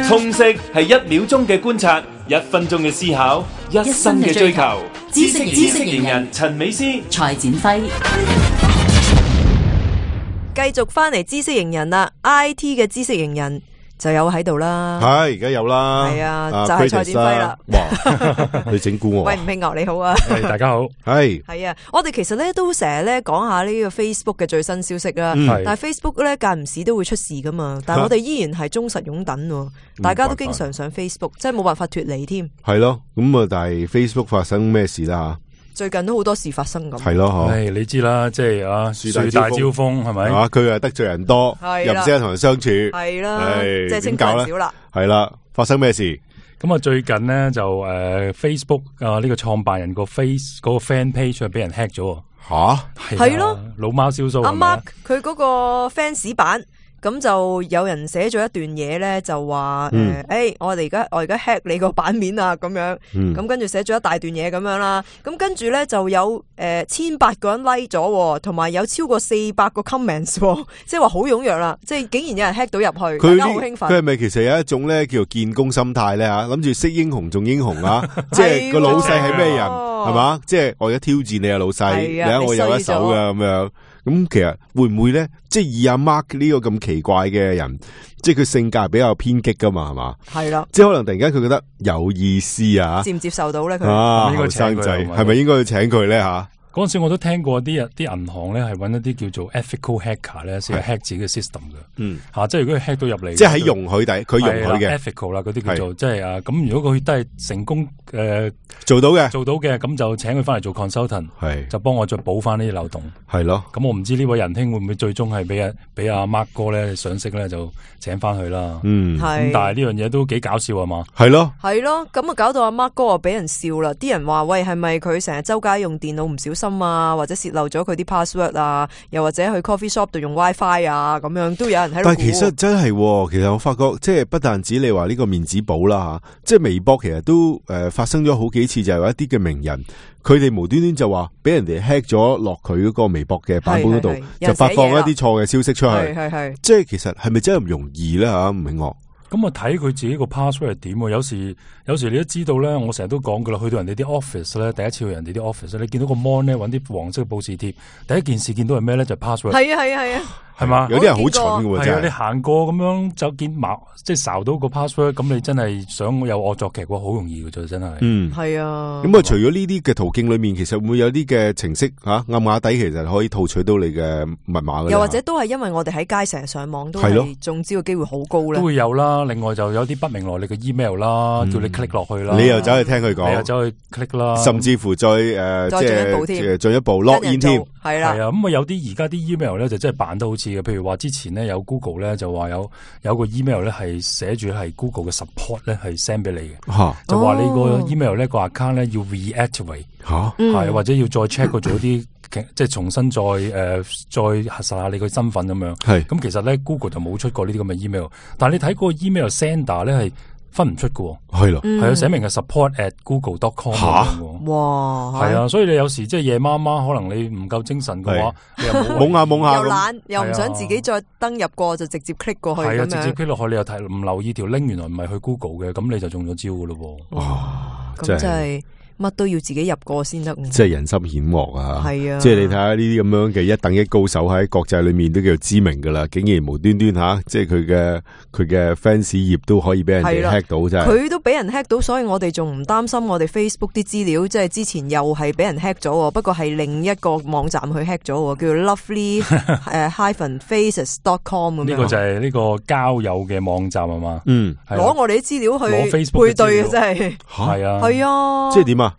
通識係1秒鐘嘅觀察，1分鐘嘅思考，1生嘅追求。知識型人陳美詩、蔡展輝，繼續翻嚟知識型人啦 ，IT 嘅知識型人就有喺度啦。係而家有啦，係啊，就係蔡展輝啦。哇，你整蠱我？喂，吳慶牛你好啊，大家好。係啊，我哋其實咧都成日咧講下呢個 Facebook 嘅最新消息啦。但係 Facebook 咧間唔時都會出事噶嘛，但係我哋依然係忠實擁躉，大家都經常上 Facebook， 真係冇辦法脫離添。係咯，咁啊，但係 Facebook 發生咩事啦？最近都好多事發生咁。係咯，你知啦，即係啊，樹大招風係咪？佢係得罪人多，又唔識得同人相處，係啦，即係清官少啦。係啦，發生咩事？咁啊，最近咧就Facebook 啊呢個創辦人個 嗰個 fan page 俾人 hack 咗。吓？係咯，老貓燒鬚。阿 Mark 佢嗰個 fans 版。咁就有人寫咗一段嘢咧，就話我而家 hack 你個版面啊，咁樣，咁跟住寫咗一大段嘢咁樣啦。咁跟住咧就有1800個人 like 咗，同埋有超過400個 comments， 即係話好踴躍啦。即係竟然有人 hack 到入去，大家好興奮。佢係咪其實有一種咧叫做建功心態咧吓？諗住識英雄重英雄啊！即係個老細係咩人係嘛？即係我而家挑戰你啊，老細，你睇我有一手噶咁樣。咁其實會唔會咧？即係以阿 Mark 呢個咁奇怪嘅人，即係佢性格係比較偏激噶嘛，係嘛？係啦，即係可能突然間佢覺得有意思啊，接唔接受到咧？佢後生仔係咪應該要請佢咧吓？嗰陣時我都聽過啲銀行咧係揾一啲叫做 ethical hacker 咧，先係 hack 自己嘅 system 嘅。即係如果佢 hack 到入嚟，即係喺容許底，佢容許嘅 ethical 啦，嗰啲叫做即係咁如果佢都係成功做到嘅，咁就請佢翻嚟做 consultant，就幫我再補翻呢啲漏洞。係咯，咁我唔知呢位仁兄會唔會最終係俾阿 Mark 哥咧賞識咧就請翻佢啦。咁但係呢樣嘢都幾搞笑啊嘛。係咯，咁啊搞到阿 Mark 哥啊俾人笑啦。啲人話喂，係咪佢成日周街用電腦唔小心啊，或者洩漏咗佢啲 password 啊，又或者去 coffee shop 度用 WiFi 啊，咁樣都有人喺度。但係其實真係，其實我發覺即係不但止你話呢個面子簿啦吓，即係微博其實都發生咗好幾次，就係有一啲嘅名人，佢哋無端端就話俾人哋 hack 咗落佢嗰個微博嘅版本嗰度，就發放一啲錯嘅消息出去。即係其實係咪真係咁容易咧吓？唔明我。咁啊睇佢自己個 password 係點？有時你都知道咧，我成日都講噶啦，去到人哋啲 office 咧，第一次去人哋啲 office 咧，你見到個 mon 咧揾啲黃色嘅報時貼，第一件事見到係咩咧？就係 password。係啊。係嘛？有啲人好蠢嘅，真係。你行過咁樣就見即係睄到個 password， 咁你真係想有惡作劇嘅話，好容易嘅啫，真係。係啊。咁啊，除咗呢啲嘅途徑裏面，其實會唔會有啲嘅程式暗啞底，其實可以套取到你嘅密碼嘅？又或者都係因為我哋喺街成日上網，都係中招嘅機會好高咧。都會有啦。另外就有啲不明來歷嘅 email 啦，叫你 click 落去啦。你又走去聽佢講，你又走去 click 啦。甚至乎再進一步 log in 添。係啦。咁啊有啲而家啲 email 咧就真係扮得好似嘅，譬如話之前咧有 Google 咧就話有個 email 咧係寫住係 Google 嘅 support 咧係 send 俾你嘅，就話你個 email 咧個 account 咧要 reactivate，係或者要再 check 過做啲即係重新再核實下你個身份咁樣。咁其實咧 Google 就冇出過呢啲咁嘅 email， 但係你睇嗰個 email sender 咧係分唔出嘅，係咯，係啊，寫明係 support@google.com 哇，係啊，所以你有時即係夜媽媽，可能你唔夠精神嘅話，你又懵下又懶，又唔想自己再登入過，就直接 click 過去咁樣。係啊，直接 click 落去，你又睇唔留意條 link， 原來唔係去 Google 嘅，咁你就中咗招嘅咯。哇，咁真係。乜都要自己入過先得，即係人心險惡啊！係啊，即係你睇下呢啲咁樣嘅一等一高手喺國際裏面都叫做知名噶啦，竟然無端端吓，即係佢嘅 fans 頁都可以俾人哋 hack 到，真係佢都俾人 hack 到，所以我哋仲唔擔心我哋 Facebook 啲資料，即係之前又係俾人 hack 咗，不過係另一個網站去 hack 咗，叫做 lovely-faces.com 咁樣。呢個就係呢個交友嘅網站啊嘛，攞我哋啲資料去配對嘅真係，係啊，係啊，即係點啊？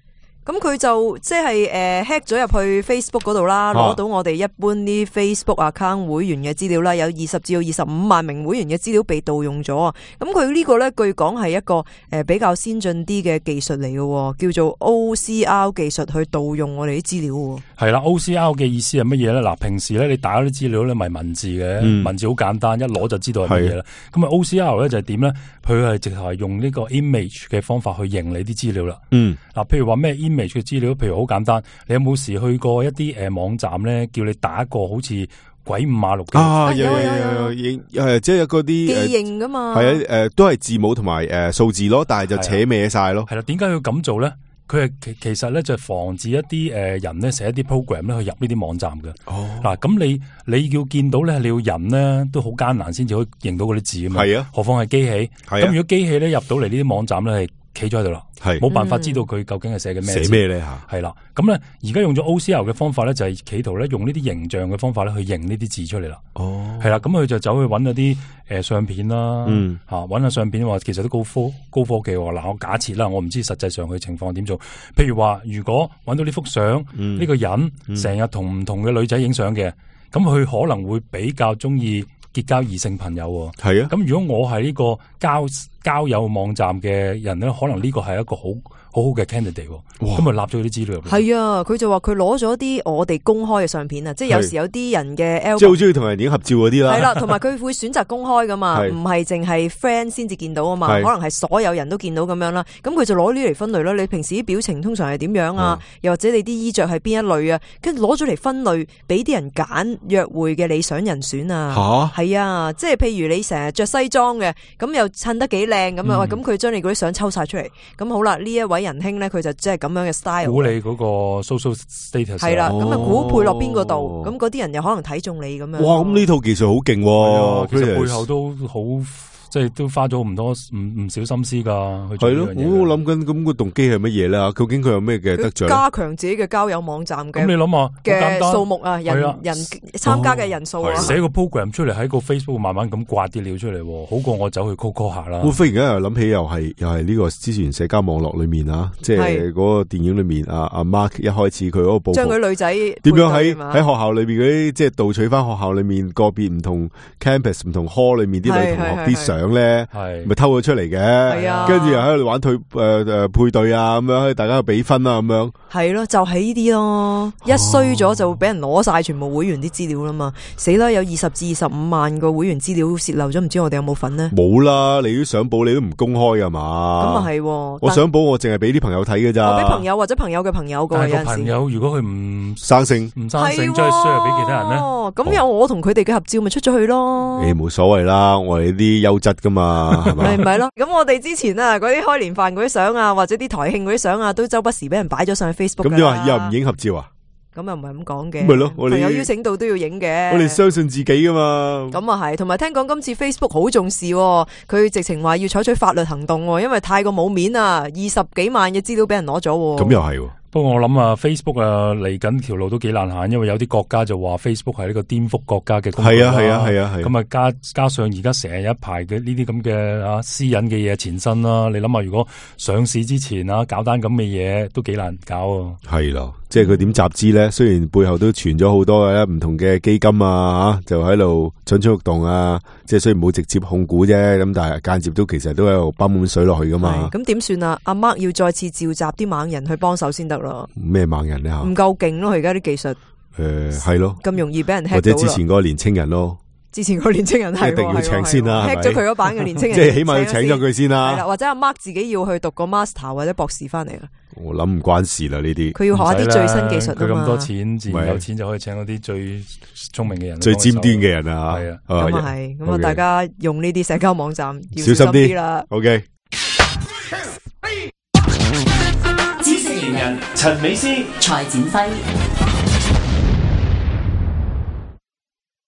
咁佢就即係hack 咗入去 Facebook 嗰度啦，攞到我哋一般啲 Facebook account 會員嘅資料啦，有20至25萬名會員嘅資料被盜用咗啊！咁佢呢個咧據講係一個比較先進啲嘅技術嚟嘅，叫做 OCR 技術去盜用我哋啲資料。係啦 ，OCR 嘅意思係乜嘢咧？嗱，平時咧你打啲資料咧咪文字嘅，文字好簡單，一攞就知道係乜嘢啦。咁啊 OCR 咧就係點咧？佢係直頭係用呢個 image 嘅方法去認你啲資料啦。嗱，譬如話咩 image 嘅資料，譬如好簡單，你有冇時去過一啲網站咧，叫你打一個好似鬼五馬六有，即係嗰啲記認噶嘛，係啊，都係字母同埋數字咯，但係就扯歪晒咯。係啦，點解要咁做咧？佢係其實咧就係防止一啲人咧寫一啲 program 咧去入呢啲網站嘅。嗱，咁你要見到咧，你要人咧都好艱難先至可以認到嗰啲字啊嘛。係啊，何況係機器。咁如果機器咧入到嚟呢啲網站咧係企咗喺度啦，冇辦法知道佢究竟係寫緊咩字。寫咩咧吓？係啦，咁咧而家用咗 OCR 嘅方法咧，就係企圖咧用呢啲形象嘅方法咧去認呢啲字出嚟啦。係啦，咁佢就走去揾嗰啲相片啦，揾下相片話其實都高科技喎。嗱，我假設啦，我唔知實際上佢情況點做。譬如話，如果揾到呢幅相，呢個人成日同唔同嘅女仔影相嘅，咁佢可能會比較中意結交異性朋友。係啊，咁如果我係呢個交友網站嘅人咧，可能呢個係一個好好嘅 candidate， 咁咪立咗啲資料。係啊，佢就話佢攞咗啲我哋公開嘅相片啊，即係有時有啲人嘅 album， 即係好中意同人影合照嗰啲啦。係啦，同埋佢會選擇公開噶嘛，唔係淨係 friend 先至見到啊嘛，可能係所有人都見到咁樣啦。咁佢就攞呢嚟分類啦。你平時啲表情通常係點樣啊？又或者你啲衣着係邊一類啊？跟住攞咗嚟分類，俾啲人揀約會嘅理想人選啊。係啊，即係譬如你成日着西裝嘅，咁又襯得幾靚咁啊，咁佢將你嗰啲相抽晒出嚟。咁好啦，呢一位仁兄咧，佢就即係咁樣嘅 style， 估你嗰個 social status 係啦，咁啊估配落邊個度，咁嗰啲人又可能睇中你咁樣。哇，咁呢套技術好勁喎，其實背後都好。即係都花咗唔少心思噶，係咯。我諗緊咁個動機係乜嘢咧？究竟佢有咩嘅得着？加強自己嘅交友網站嘅。咁你諗下嘅數目啊，人參加嘅人數啊，寫個 program 出嚟喺個 Facebook 慢慢咁刮啲料出嚟，好過我走去 call 下啦。我忽然間又諗起，又係呢個之前社交網絡裏面啊，即係嗰個電影裏面阿 Mark 一開始佢嗰個報將佢女仔點樣喺學校裏面嗰啲，即係盜取翻學校裏面個別唔同 campus 唔同 hall 裏面啲女同學啲相咧。咪偷咗出嚟嘅，跟住又喺度玩配對啊，咁樣大家比分啊，咁樣係咯，就係呢啲咯。一衰咗就會俾人攞晒全部會員啲資料啦嘛，死啦！有20至25萬個會員資料洩漏咗，唔知我哋有冇份呢？冇啦，你啲相簿你都唔公開噶嘛？咁啊係，我相簿我淨係俾啲朋友睇嘅咋，我俾朋友或者朋友嘅朋友噶。但係個朋友如果佢唔生性，將佢 share 俾其他人咧，咁有我同佢哋嘅合照咪出咗去咯？冇所謂啦，我哋啲優質噶嘛。係咪咯？咁我哋之前啊，嗰啲開年飯嗰啲相啊，或者啲台慶嗰啲相啊，都周不時俾人擺咗上去 Facebook。咁又話又唔影合照啊？咁又唔係咁講嘅。咪咯，我哋朋友邀請到都要影嘅。我哋相信自己噶嘛。咁啊係，同埋聽講今次 Facebook 好重視，佢直情話要採取法律行動，因為太過冇面啊，20幾萬嘅資料俾人攞咗。咁又係。不過我諗啊 ，Facebook 啊嚟緊條路都幾難行，因為有啲國家就話 Facebook 係呢個顛覆國家嘅工具。係啊。咁啊加上而家成日一排嘅呢啲咁嘅私隱嘅嘢纏身啦，你諗下如果上市之前搞單咁嘅嘢都幾難搞啊。係咯，即係佢點集資咧？雖然背後都傳咗好多嘅唔同嘅基金啊，就喺度蠢蠢欲動啊。即係雖然冇直接控股啫，咁但係間接都其實都喺度泵滿水落去噶嘛。咁點算啊？阿 Mark 要再次召集啲猛人去幫手先得。咩猛人咧？唔夠勁咯，佢而家啲技術。係咯，咁容易俾人 hack 到。或者之前嗰個年青人咯。之前個年青人係一定要請先啦，hack 咗佢嗰版嘅年青人，即係起碼要請咗佢先啦。係啦，或者阿 Mark 自己要去讀個 master 或者博士翻嚟啦。我諗唔關事啦，呢啲佢要學一啲最新技術啊嘛。佢咁多錢，自然有錢就可以請嗰啲最聰明嘅人，最尖端嘅人啊。係啊，咁啊係，咁啊大家用呢啲社交網站要小心啲啦。OK。知識型人陳美詩、蔡展輝。